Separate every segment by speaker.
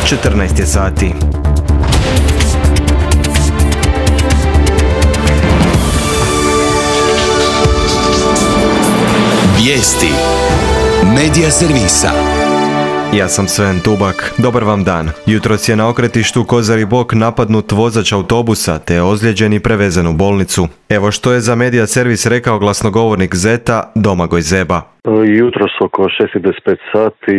Speaker 1: 14 je sati.
Speaker 2: Vijesti Medija servisa.
Speaker 1: Ja sam Sven Tubak. Dobar vam dan. Jutros je na okretištu Kozari Bok napadnut vozač autobusa te je ozlijeđen i prevezen u bolnicu. Evo što je za Medija servis rekao glasnogovornik Zeta Domagoj Zeba.
Speaker 3: Jutros oko 6:25 sati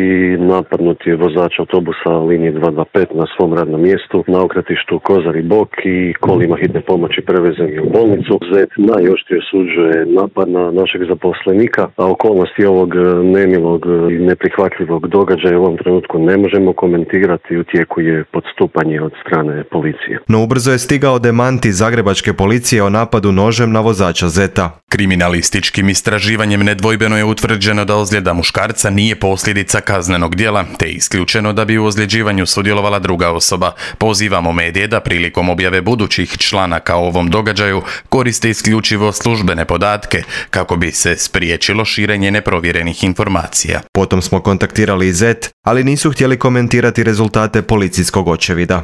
Speaker 3: napadnut je vozač autobusa linije 225 na svom radnom mjestu na okretištu Kozari Bok i kolima hitne pomoći prevezen je u bolnicu. Zet najoštrije osuđuje napad na našeg zaposlenika, a okolnosti ovog nemilog i neprihvatljivog događaja u ovom trenutku ne možemo komentirati, u tijeku je postupanje od strane policije.
Speaker 1: No ubrzo je stigao demanti zagrebačke policije o napadu nožem na vozača Zeta.
Speaker 4: Kriminalističkim istraživanjem nedvojbeno je utvrđeno da ozljeda muškarca nije posljedica kaznenog djela, te je isključeno da bi u ozljeđivanju sudjelovala druga osoba. Pozivamo medije da prilikom objave budućih članaka o ovom događaju koriste isključivo službene podatke kako bi se spriječilo širenje neprovjerenih informacija.
Speaker 1: Potom smo kontaktirali i Zet, ali nisu htjeli komentirati rezultate policijskog očevida.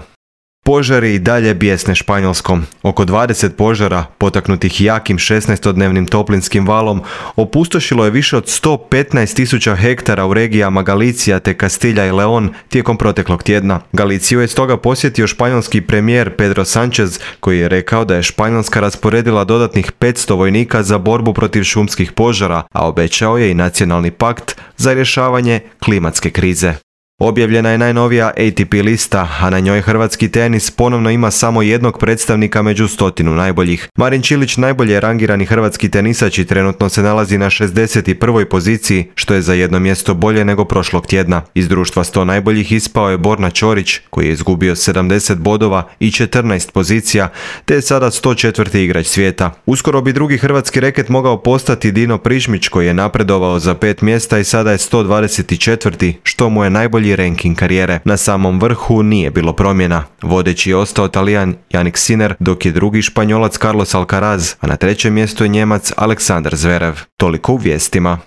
Speaker 1: Požari i dalje bijesne Španjolskom. Oko 20 požara, potaknutih jakim 16-dnevnim toplinskim valom, opustošilo je više od 115.000 hektara u regijama Galicija te Kastilja i León tijekom proteklog tjedna. Galiciju je stoga posjetio španjolski premijer Pedro Sánchez, koji je rekao da je Španjolska rasporedila dodatnih 500 vojnika za borbu protiv šumskih požara, a obećao je i nacionalni pakt za rješavanje klimatske krize. Objavljena je najnovija ATP lista, a na njoj hrvatski tenis ponovno ima samo jednog predstavnika među 100 najboljih. Marin Čilić najbolje je rangirani hrvatski tenisač i trenutno se nalazi na 61. poziciji, što je za jedno mjesto bolje nego prošlog tjedna. Iz društva 100 najboljih ispao je Borna Ćorić, koji je izgubio 70 bodova i 14 pozicija, te je sada 104. igrač svijeta. Uskoro bi drugi hrvatski reket mogao postati Dino Prižmić, koji je napredovao za 5 mjesta i sada je 124. što mu je najbolji ranking karijere. Na samom vrhu nije bilo promjena. Vodeći je ostao Talijan Jannik Sinner, dok je drugi Španjolac Carlos Alcaraz, a na trećem mjestu je Njemac Aleksandar Zverev. Toliko u vijestima.